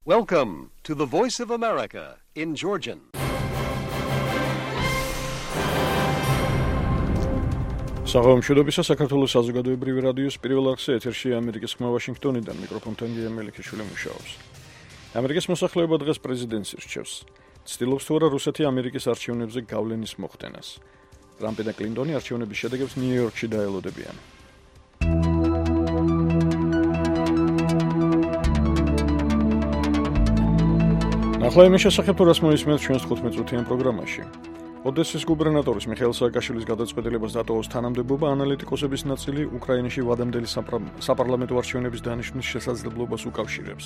Welcome to the Voice of America in Georgian. Საღამოშობისა საქართველოს საზოგადოებრივი რადიოს პირველ არხზე ეთერშია ამერიკის ხმა ვაშინგტონიდან მიკროფონთან გია მელიქიშვილი მუშაობს. ამერიკის მოსახლეობა დღეს პრეზიდენტს ირჩევს. ცდილობს თუ არა რუსეთი ამერიკის არჩევნებზე გავლენის მოხდენას. ტრამპი და კლინტონი არჩევნების შედეგებს ნიუ-იორკში დაელოდებიან. ახლა იმის შესახებ თუ რას მოისმენთ ჩვენს 15-წუთიან პროგრამაში. ოდესის გუბერნატორის მიხეილ სააკაშვილის გადაწყვეტილებას დატოვოს თანამდებობა ანალიტიკოსების ნაწილი უკრაინაში ვადამდელი საპარლამენტო არჩევნების დანიშვნის შესაძლებლობას უკავშირებს.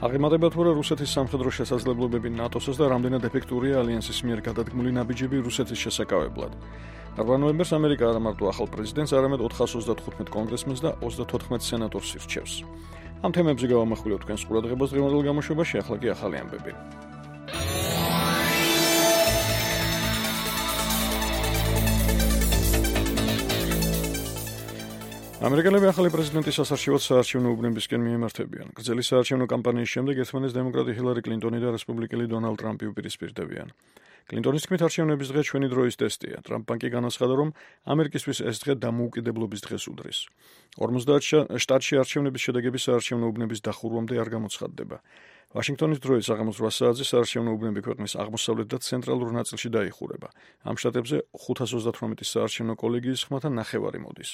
აღემატება თუ რა რუსეთის სამხედრო შესაძლებლობები ნატოსაც და რამდენად ეფექტურია ალიანსის მიერ გადადგმული ნაბიჯები რუსეთის შესაკავებლად. 8 ნოემბერს ამერიკა არა მარტო ახალ პრეზიდენტს, არამედ 435 კონგრესმენს და 34 სენატორს ირჩევს. ამ თემებზე გავამახვილებთ თქვენს ყურადღებას დღევანდელ გამოშვებაში, ახლა კი ახალი ამბები. ამერიკელები ახალი პრეზიდენტის ასარჩევად საარჩევნო უბნებისკენ მიემართებიან. გრძელი საარჩევნო კამპანიის შემდეგ ერთმანეთს დემოკრატი ჰილარი კლინტონი და რესპუბლიკელი დონალდ ტრამპი უპირისპირდებიან. კლინტონის თქმით, არჩევნების დღე ჩვენი დროის ტესტია. ტრამპმა კი განაცხადა, რომ ამერიკისთვის ეს დღე დამოუკიდებლობის დღეს უდრის. 50 შტატში არჩევნების შედეგები საარჩევნო უბნების დახურვამდე არ გამოცხადდება. ვაშინგტონის დროით საღამოს 8 საათზე საარჩევნო უბნები ქვეყნის აღმოსავლეთ და ცენტრალურ ნაწილში დაიხურება. ამ შტატებზე 538 საარჩევნო კოლეგიის ხმათა ნახევარი მოდის.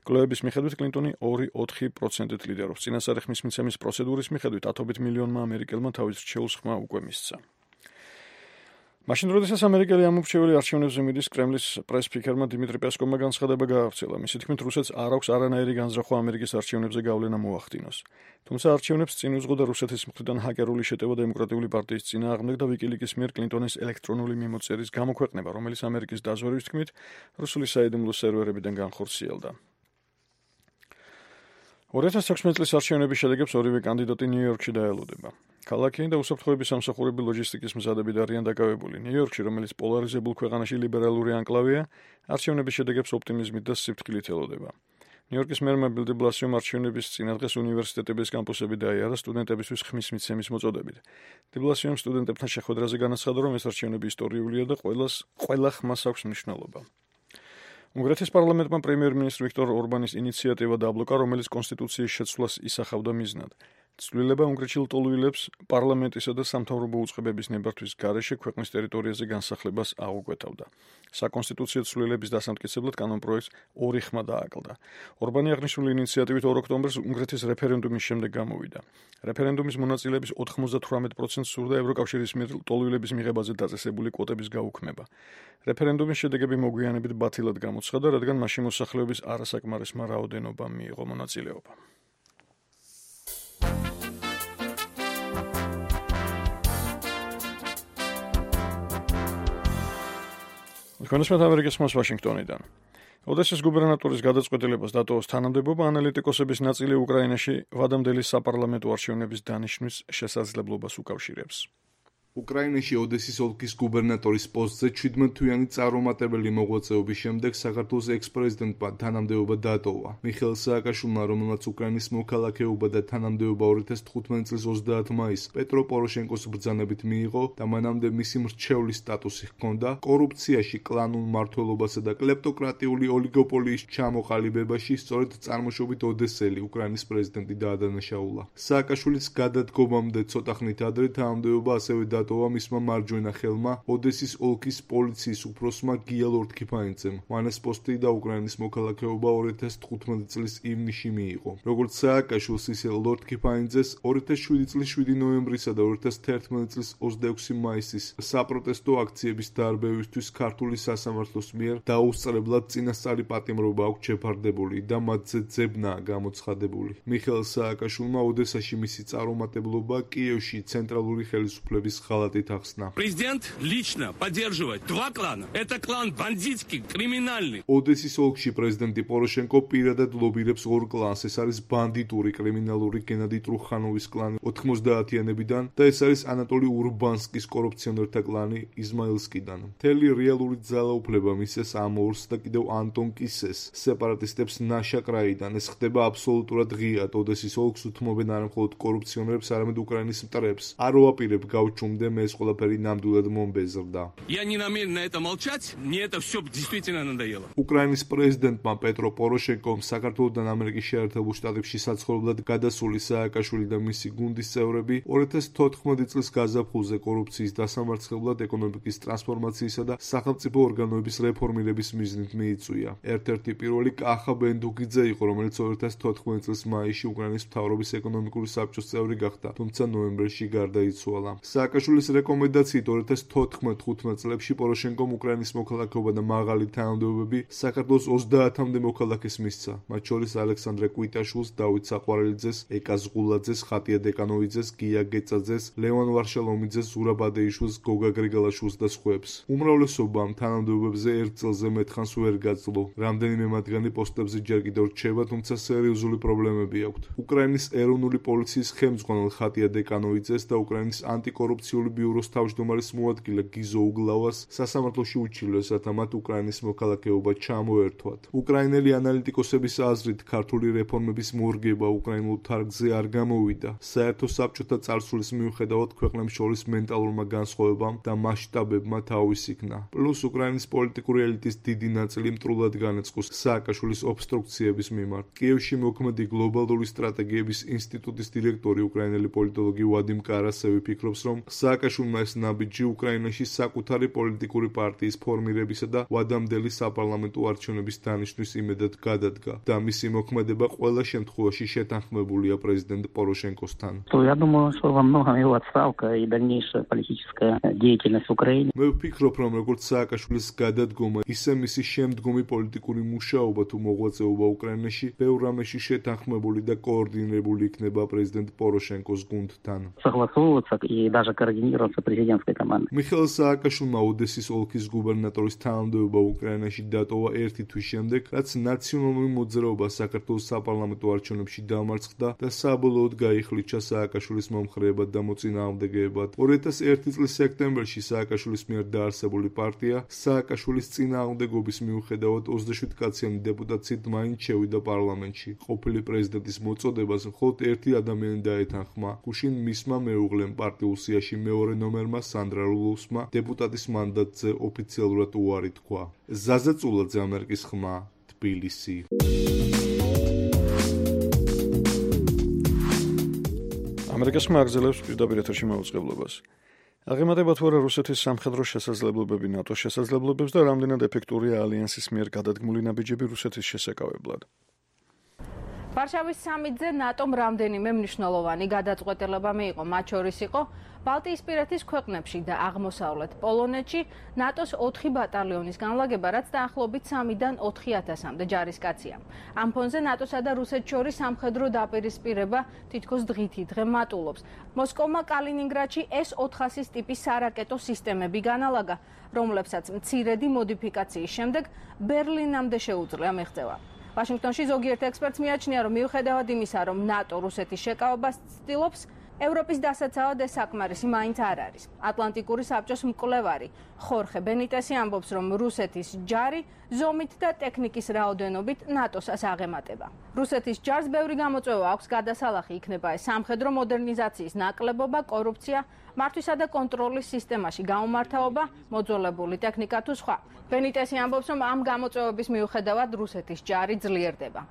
კვლევების მიხედვით კლინტონი 2-4%-ით ლიდერობს. წინასწარი ხმის მიცემის პროცედურის მიხედვით 10 მილიონმა ამერიკელმა თავის რჩეულს ხმა უკვე მისცა. მაშინ როდესაც ამერიკელი ამორჩეველი არჩევნებზე მიდის, კრემლის პრეს-სპიკერმა დიმიტრი პესკოვმა განცხადება გაავრცელა. მისი თქმით, რუსეთს არ აქვს არანაირი განზრახვა ამერიკის არჩევნებზე გავლენა მოახდინოს. თუმცა არჩევნებს წინ უძღო და რუსეთის მხრიდან ჰაკერული შეტევა დემოკრატიული პარტიის წინააღმდეგ და ვიკილიკის მიერ კლინტონის ელექტრონული მიმოწერის გამოქვეყნება, რომელიც ამერიკის დაზვერვის თქმით, რუსული საიდუმლო სერვერებიდან განხორციელდა. 2016 წლის არჩევნების შედეგებს ორივე კანდიდატი ნიუ-იორკში დაელოდება. ქალაქი და უსაფრთხოების სამსახურები ლოჯისტიკის მზადებით არიან დაკავებული. ნიუ-იორკში, რომელიც პოლარიზებულ ქვეყანაში ლიბერალური ანკლავია, არჩევნების შედეგებს ოპტიმიზმით და სიფრთხილით ელოდება. ნიუ-იორკის მერმა ბილ დე ბლასიომ არჩევნების წინადღეს უნივერსიტეტების კამპუსები დაიარა სტუდენტებისთვის ხმის მიცემის მოწოდებით. დე ბლასიომ სტუდენტებთან შეხვედრაზე განაცხადა, რომ ეს არჩევნები ისტორიულია და ყველა ხმას აქვს მნიშვნელობა. უნგრეთის პარლამენტმა პრემიერ-მინისტრ ვიქტორ ორბანის ინიციატივა დააბლოკა, რომელიც კონსტიტუციის შეცვლას ისახავდა მიზნად. ცვლილება უნგრეთში ლტოლვილებს პარლამენტისა და სამთავრობო უწყებების ნებართვის გარეშე ქვეყნის ტერიტორიაზე განსახლებას აუკვეთავდა. საკონსტიტუციო ცვლილების დასამტკიცებლად კანონპროექტს 2 ხმა დააკლდა. ორბანი აღნიშნული ინიციატივით 2 ოქტომბერს უნგრეთის რეფერენდუმის შემდეგ გამოვიდა. რეფერენდუმის მონაწილეების 98%-ს სურდა ევროკავშირის მიერ ლტოლვილების მიღებაზე დაწესებული კვოტების გაუქმება. რეფერენდუმის შედეგები მოგვიანებით ბათილად გამოცხადა, რადგან მასში მოსახლეობის არასაკმარისმა რაოდენობამ მიიღო მონაწილეობა. კონსტიტუციურ ამერიკის ხმას ვაშინგტონიდან. ოდესის გუბერნატორის გადაწყვეტილებას დატოვოს თანამდებობა ანალიტიკოსების ნაწილი უკრაინაში ვადამდელი საპარლამენტო არჩევნების დანიშვნის შესაძლებლობას უკავშირებს. უკრაინაში ოდესის ოლქის გუბერნატორის პოსტზე 17-თვიანი წარუმატებელი მოღვაწეობის შემდეგ საქართველოს ექს-პრეზიდენტმა თანამდებობა დატოვა. მიხეილ სააკაშვილმა, რომელმაც უკრაინის მოქალაქეობა და თანამდებობა 2015 წლის 30 მაისს პეტრო პოროშენკოს ბრძანებით მიიღო და მანამდე მისი მრჩევლის სტატუსი ჰქონდა, კორუფციაში, კლანურ მმართველობასა და კლეპტოკრატიული ოლიგოპოლიის ჩამოყალიბებაში სწორედ წარმოშობით ოდესელი უკრაინის პრეზიდენტი დაადანაშაულა. სააკაშვილის გადადგომამდე ცოტა ხნით ადრე თანამდებობა ასევე დატოვა მისმა მარჯვენა ხელმა ოდესის ოლქის პოლიციის უფროსმა გია ლორდ-კიფაინძემ. მან ეს პოსტი და უკრაინის მოქალაქეობა 2015 წლის ივნისში მიიღო. როგორც სააკაშვილს, ისე ლორდ-კიფაინძეს 2007 წლის 7 ნოემბრისა და 2011 წლის 26 მაისის საპროტესტო აქციების დარბევისთვის ქართული სასამართლოს მიერ დაუსწრებლად წინასწარი პატიმრობა აქვს შეფარდებული და მათზე ძებნაა გამოცხადებული. მიხეილ სააკაშვილმა ოდესაში მისი წარუმატებლობა, კიევში ცენტრალური ხელისუფლების ღალატით ახსნა. Президент лично поддерживает два клана. Это клан бандитский, криминальный. ოდესის ოლქში პრეზიდენტი პოროშენკო პირადად ლობირებს ორ კლანს. ეს არის ბანდიტური, კრიმინალური გენადი ტრუხანოვის კლანი 90-იანებიდან და ეს არის ანატოლი ურბანსკის კორუფციონერთა კლანი იზმაილსკიდან. მთელი რეალური ძალაუფლება მისცეს ამ ორს და კიდევ ანტონ კისეს, სეპარატისტებს ნაშაკრაიდან. ეს ხდება აბსოლუტურად ღიად. ოდესის ოლქს უთმობენ არა მხოლოდ კორუფციონერებს, არამედ უკრაინის მტრებს. არ ვაპირებ გავჩუმდე, მე ეს ყველაფერი ნამდვილად მომბეზრდა. Я не намерен на это молчать. Мне это все действительно надоело. უკრაინის პრეზიდენტმა პეტრო პოროშენკომ საქართველოსთან ამერიკის შეერთებულ შტატებში საცხოვრებლად გადასული სააკაშვილი და მისი გუნდის წევრები 2014 წლის გაზაფხულზე კორუფციის დასამარცხებლად, ეკონომიკის ტრანსფორმაციისა და სახელმწიფო ორგანოების რეფორმირების მიზნით მიიწვია. ერთ-ერთი პირველი კახა ბენდუგიძე იყო, რომელიც 2014 წლის მაისში უკრაინის მთავრობის ეკონომიკური საბჭოს წევრი გახდა, თუმცა ნოემბერში გარდაიცვალა. სააკაშვილის რეკომენდაციით 2014-15 წლებში პოროშენკომ უკრაინის მოქალაქეობა და მაღალი თანამდებობები საქართველოს 30-მდე მოქალაქეს მისცა, მათ შორის ალექსანდრე კვიტაშვილს, დავით საყვარელიძეს, ეკა ზღულაძეს, ხატია დეკანოვიძეს, გია გეწაძეს, ლევან ვარშალომიძეს, ზურაბ ადეიშვილს, გოგა გრიგალაშვილს და სხვებს. უმრავლესობამ თანამდებობებზე ერთ წელზე მეტხანს ვერ გაძლო. რამდენიმე მათგანი პოსტებზე ჯერ კიდევ რჩება, თუმცა სერიოზული პრობლემები აქვთ. უკრაინის ეროვნული პოლიციის ხელმძღვანელ ხატია დეკანოვიძეს და უკრაინის ანტიკორუფციული ბიუროს თავმჯდომარის მოადგილე გიზო უგლავას სასამართლოში უჩივლეს, რათა მათ უკრაინის მოქალაქეობა ჩამოერთვათ. უკრაინელი ანალიტიკოსების აზრით, ქართული რეფორმების მორგება უკრაინულ თარგზე არ გამოვიდა. საერთო საბჭოთა წარსულის მიუხედავად ქვეყნებს შორის მენტალურმა განსხვავებამ და მასშტაბებმა თავის იქნა. პლუს უკრაინის პოლიტიკური ელიტის დიდი ნაწილი მტრულად განეწყოს სააკაშვილის ობსტრუქციების მიმართ. კიევში მოქმედი გლობალური სტრატეგიების ინსტიტუტის დირექტორი უკრაინელი პოლიტოლოგი ვადიმ კარასევი ფიქრობს, რომ სააკაშვილმა ეს ნაბიჯი უკრაინაში საკუთარი პოლიტიკური პარტიის ფორმირებისა და ვადამდელი საპარლამენტო არჩევნების დანიშვნის იმედად გადადგა და მისი მოქმედება ყველა შემთხვევაში შეთანხმებულია პრეზიდენტ პოროშენკოსთან. Я думаю, что во многом его отставка и дальнейшая политическая деятельность в Украине. მე ვფიქრობ, რომ როგორც სააკაშვილის გადადგომა, ისე მისი შემდგომი პოლიტიკური მუშაობა თუ მოღვაწეობა უკრაინაში ბევრ რამეში შეთანხმებული და კოორდინირებული იქნება პრეზიდენტ პოროშენკოს გუნდთან. Согласовываться и даже координироваться президентской командой. მიხეილ სააკაშვილმა ოდესის ოლქის გუბერნატორის თანამდებობა უკრაინაში დატოვა ერთი თვის შემდეგ, რაც ნაციონალური მოძრაობა საქართველოს საპარლამენტო არჩევნებში დამარცხდა და საბოლოოდ გაიხლიჩა სააკაშვილის მომხრეებად და მოწინააღმდეგეებად. 2001 წლის სექტემბერში სააკაშვილის მიერ დაარსებული პარტია სააკაშვილის წინააღმდეგობის მიუხედავად 27 კაციანი დეპუტაციით მაინც შევიდა პარლამენტში. ყოფილი პრეზიდენტის მოწოდებას მხოლოდ ერთი ადამიანი დაეთანხმა, გუშინ მისმა მეუღლემ პარტიულ სიაში მეორე ნომერმა სანდრა რულოვსმა დეპუტატის მანდატზე ოფიციალურად უარი თქვა. ზაზა წულაძე, ამერიკის ხმა, თბილისი. ამერიკის ხმა აგრძელებს პირდაპირ ეთერში მაუწყებლობას. აღემატება თუ არა რუსეთის სამხედრო შესაძლებლობები ნატოს შესაძლებლობებს და რამდენად ეფექტურია ალიანსის მიერ გადადგმული ნაბიჯები რუსეთის შესაკავებლად. ვარშავის სამიტზე ნატომ რამდენიმე მნიშვნელოვანი გადაწყვეტილება მიიღო, მათ შორის იყო ბალტიისპირეთის ქვეყნებში და აღმოსავლეთ პოლონეთში ნატოს 4 ბატალიონის განლაგება, რაც დაახლოებით 3-დან 4,000-მდე ჯარისკაცია. ამ ფონზე ნატოსა და რუსეთს შორის სამხედრო დაპირისპირება თითქოს დღითი დღე მატულობს. მოსკოვმა კალინინგრადში S-400 ტიპის სარაკეტო სისტემები განალაგა, რომლებსაც მცირედი მოდიფიკაციის შემდეგ ბერლინამდე შეუძლია მიღწევა. ვაშინგტონში ზოგიერთ ექსპერტს მიაჩნია, რომ მიუხედავად იმისა, რომ ნატო რუსეთის შეკავებას ცდილობს, ევროპის დასაცავად ეს საკმარისი მაინც არ არის. ატლანტიკური საბჭოს მკვლევარი ხორხე ბენიტესი ამბობს, რომ რუსეთის ჯარი ზომით და ტექნიკის რაოდენობით ნატოსაც აღემატება. რუსეთის ჯარს ბევრი გამოწვევა აქვს, გადასალახი იქნება ეს სამხედრო მოდერნიზაციის ნაკლებობა, კორუფცია, მართვისა და კონტროლის სისტემაში გაუმართავობა, მოძველებული ტექნიკა თუ სხვა. ბენიტესი ამბობს, რომ ამ გამოწვევების მიუხედავად რუსეთის ჯარი ძლიერდება.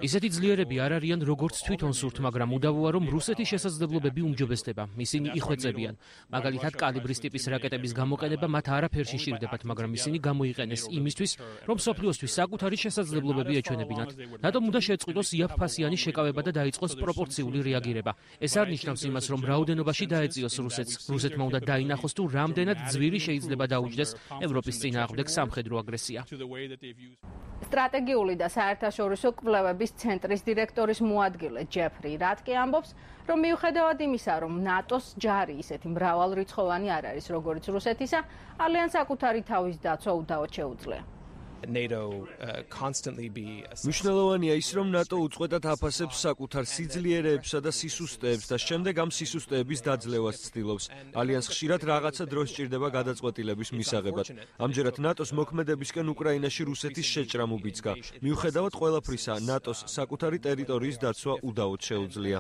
ისეთი ძლიერები არ არიან როგორც თვითონ სურთ, მაგრამ უდავოა, რომ რუსეთის შესაძლებლობები უმჯობესდება. ისინი იხვეწებიან. მაგალითად, კალიბრის ტიპის რაკეტების გამოყენება მათ არაფერში შირდებათ, მაგრამ ისინი გამოიყენეს იმისთვის, რომ სოფლიოსთვის საკუთარი შესაძლებლობები ეჩვენებინათ. ნატომ უნდა შეწყვიტოს იაფფასიანი შეკავება და დაიწყოს პროპორციული რეაგირება. ეს არ ნიშნავს იმას, რომ რაოდენობაში დაეწიოს რუსეთს. რუსეთმა უნდა დაინახოს, თუ რამდენად ძვირი შეიძლება დაუჯდეს ევროპის წინააღმდეგ სამხედრო აგრესია. სტრატეგიული და საერთაშორისო კვლევების ცენტრის დირექტორის მოადგილე ჯეფრი რატკი ამბობს, რომ მიუხედავად იმისა, რომ ნატოს ჯარი ისეთი მრავალრიცხოვანი არ არის, როგორც რუსეთისა, ალიანსს საკუთარი თავის დაცვა უდავოდ შეუძლია. მნიშვნელოვანია ის, რომ ნატო უწყვეტად აფასებს საკუთარ სიძლიერეებსა და სისუსტეებს და შემდეგ ამ სისუსტეების დაძლევას ცდილობს. ალიანსს ხშირად რაღაცა დრო სჭირდება გადაწყვეტილების მისაღებად. ამჯერად ნატოს მოქმედებისკენ უკრაინაში რუსეთის შეჭრა მუბიძგა. მიუხედავად ყველაფრისა, ნატოს საკუთარი ტერიტორიის დაცვა უდავოდ შეუძლია.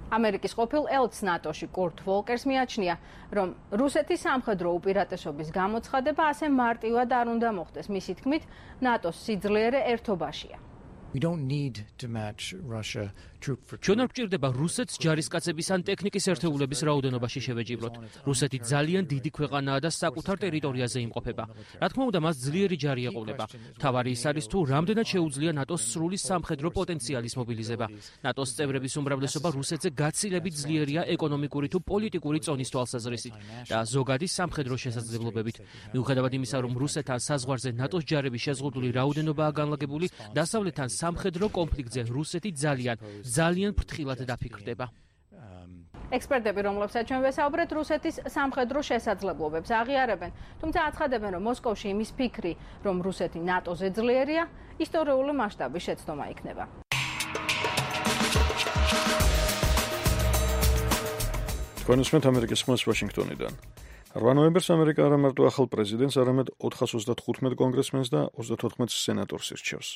ამერიკის ყოფილ ელჩს ნატოში კურტ ვოლკერს მიაჩნია, რომ რუსეთის სამხედრო უპირატესობის გამოცხადება ასე მარტივად არ უნდა მოხდეს. მისი თქმით, ნატოს სიძლიერე ერთობაშია. ჩვენ არ გვჭირდება რუსეთს ჯარისკაცების ან ტექნიკის ერთეულების რაოდენობაში შევეჯიბროთ. რუსეთი ძალიან დიდი ქვეყანაა და საკუთარ ტერიტორიაზე იმყოფება. რა თქმა უნდა, მას ძლიერი ჯარი ეყოლება. მთავარი ის არის თუ რამდენად შეუძლია ნატოს სრული სამხედრო პოტენციალის მობილიზება. ნატოს წევრების უმრავლესობა რუსეთზე გაცილებით ძლიერია ეკონომიკური თუ პოლიტიკური წონის თვალსაზრისით და ზოგადი სამხედრო შესაძლებლობებით. მიუხედავად იმისა, რომ რუსეთთან საზღვარზე ნატოს ჯარების შეზღუდული რაოდენობაა განლაგებული, დასავლეთთან სამხედრო კონფლიქტზე რუსეთი ძალიან ფრთხილად დაფიქრდება. ექსპერტები, რომლებსაც ჩვენ ვესაუბრეთ, რუსეთის სამხედრო შესაძლებლობებს აღიარებენ, თუმცა აცხადებენ, რომ მოსკოვში იმის ფიქრი, რომ რუსეთი ნატოზე ძლიერია, ისტორიული მასშტაბის შეცდომა იქნება. თქვენ უსმენთ ამერიკის ხმას ვაშინგტონიდან. 8 ნოემბერს ამერიკა არა მარტო ახალ პრეზიდენტს, არამედ 435 კონგრესმენს და 34 სენატორს ირჩევს.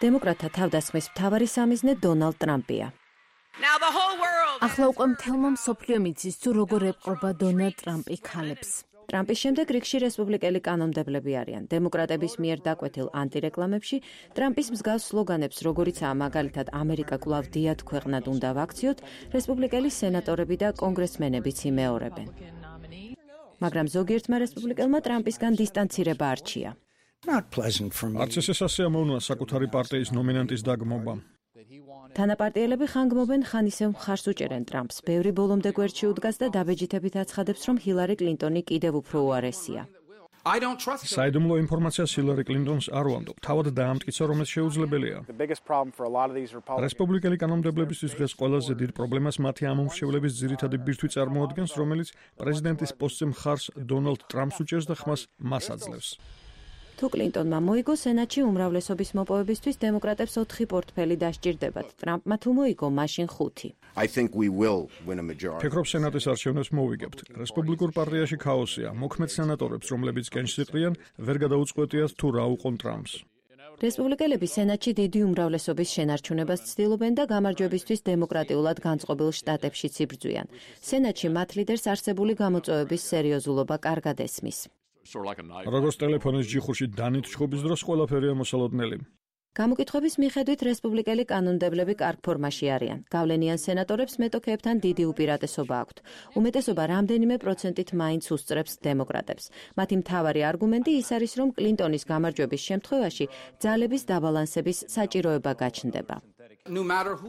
დემოკრატთა თავდასხმის მთავარი სამიზნე დონალდ ტრამპია. ახლა უკვე მთელმა მსოფლიომ იცის, თუ როგორ ეპყრობა დონალდ ტრამპი ქალებს. ტრამპის შემდეგ რიგში რესპუბლიკელი კანონმდებლები არიან. დემოკრატების მიერ დაკვეთილ ანტირეკლამებში ტრამპის მსგავს სლოგანებს, როგორიცაა მაგალითად ამერიკა კვლავ დიად ქვეყნად უნდა ვაქციოთ, რესპუბლიკელი სენატორები და კონგრესმენებიც იმეორებენ. მაგრამ ზოგიერთმა რესპუბლიკელმა ტრამპისგან დისტანცირება არჩია. არც ეს სასიამოვნოა საკუთარი პარტიის ნომინანტის დაგმობა. თანაპარტიელები ხანგრმობენ, ხან ისევ მხარს უჭერენ ტრამპს. ბევრი ბოლომდე გვერდში უდგას და დაბეჯითებით აცხადებს, რომ ჰილარი კლინტონი კიდევ უფრო უარესია. საიდუმლო ინფორმაციას ჰილარი კლინტონს არ ვამბობ. თავად დაამტკიცა, რომ ეს შეუძლებელია. რესპუბლიკელი კანონმდებლებისთვის დღეს ყველაზე დიდ პრობლემას მათი ამომრჩევლების ძირითადი ბირთვი წარმოადგენს, რომელიც პრეზიდენტის პოსტზე მხარს დონალდ ტრამპს უჭერს და ხმას მას აძლევს. თუ კლინტონმა მოიგო სენატში უმრავლესობის მოპოვებისთვის დემოკრატებს 4 პორტფელი დასჭირდებათ. ტრამპმა თუ მოიგო, მაშინ 5. ფიქრობ სენატის არჩევნებს მოვიგებთ. რესპუბლიკურ პარტიაში ქაოსია. მოქმედ სენატორებს, რომლებიც კენჭს იყრიან, ვერ გადაუწყვეტიათ თუ რა უყონ ტრამპს. რესპუბლიკელები სენატში დიდი უმრავლესობის შენარჩუნებას ცდილობენ და გამარჯვებისთვის დემოკრატიულად განწყობილ შტატებშიც იბრძვიან. სენატში მათ ლიდერს არსებული გამოწვევების სერიოზულობა კარგად ესმის. როგორც ტელეფონის ჯიხურში დანით ჩხუბის დროს ყველაფერია მოსალოდნელი. გამოკითხვების მიხედვით რესპუბლიკელი კანონმდებლები კარგ ფორმაში არიან. გავლენიან სენატორებს მეტოქეებთან დიდი უპირატესობა აქვთ. უმეტესობა რამდენიმე პროცენტით მაინც უსწრებს დემოკრატებს. მათი მთავარი არგუმენტი ის არის, რომ კლინტონის გამარჯვების შემთხვევაში ძალების დაბალანსების საჭიროება გაჩნდება.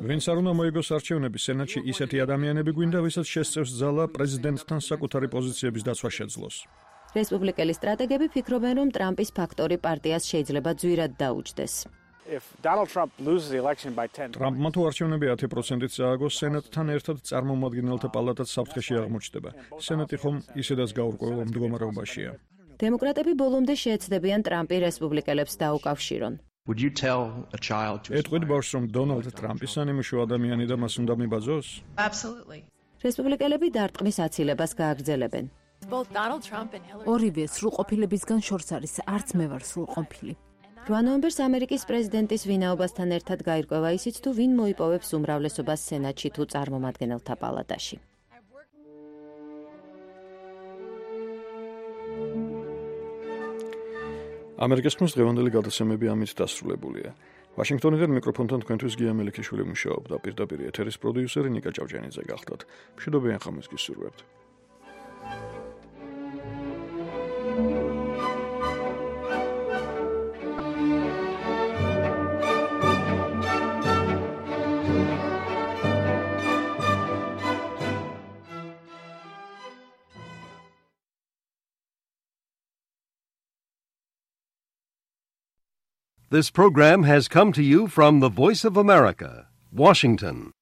ვინც არ უნდა მოიგოს არჩევნები, სენატში ისეთი ადამიანები გვინდა, ვისაც შესწევს ძალა პრეზიდენტთან საკუთარი პოზიციების დაცვა შეძლოს. რესპუბლიკელი სტრატეგები ფიქრობენ, რომ ტრამპის ფაქტორი პარტიას შეიძლება ძვირად დაუჯდეს. ტრამპმა თუ არჩევნები 10%-ით წააგოს, სენატთან ერთად წარმომადგენელთა პალატაც საფრთხეში აღმოჩნდება. სენატი ხომ ისედაც გაურკვეველ მდგომარეობაშია. დემოკრატები ბოლომდე შეეცდებიან ტრამპი რესპუბლიკელებს დაუკავშირონ. ეტყვით ბავშვს, რომ დონალდ ტრამპი სანიმუშო ადამიანი და მას უნდა მიბაძოს? რესპუბლიკელები დარტყმის აცილებას გააგრძელებენ. ორივე სრულყოფილებისგან შორს არის, არც მე ვარ სრულყოფილი. 8 ნოემბერს ამერიკის პრეზიდენტის ვინაობასთან ერთად გაირკვევა ისიც, თუ ვინ მოიპოვებს უმრავლესობას სენატში თუ წარმომადგენელთა პალატაში. ამერიკის ხმის დღევანდელი გადაცემები ამით დასრულებულია. ვაშინგტონიდან მიკროფონთან თქვენთვის გია მელიქიშვილი მუშაობდა, პირდაპირ ეთერის პროდიუსერი ნიკა ჭავჭიანიძე გახლდათ. მშვიდობიან ხამს გისურვებთ. This program has come to you from the Voice of America, Washington.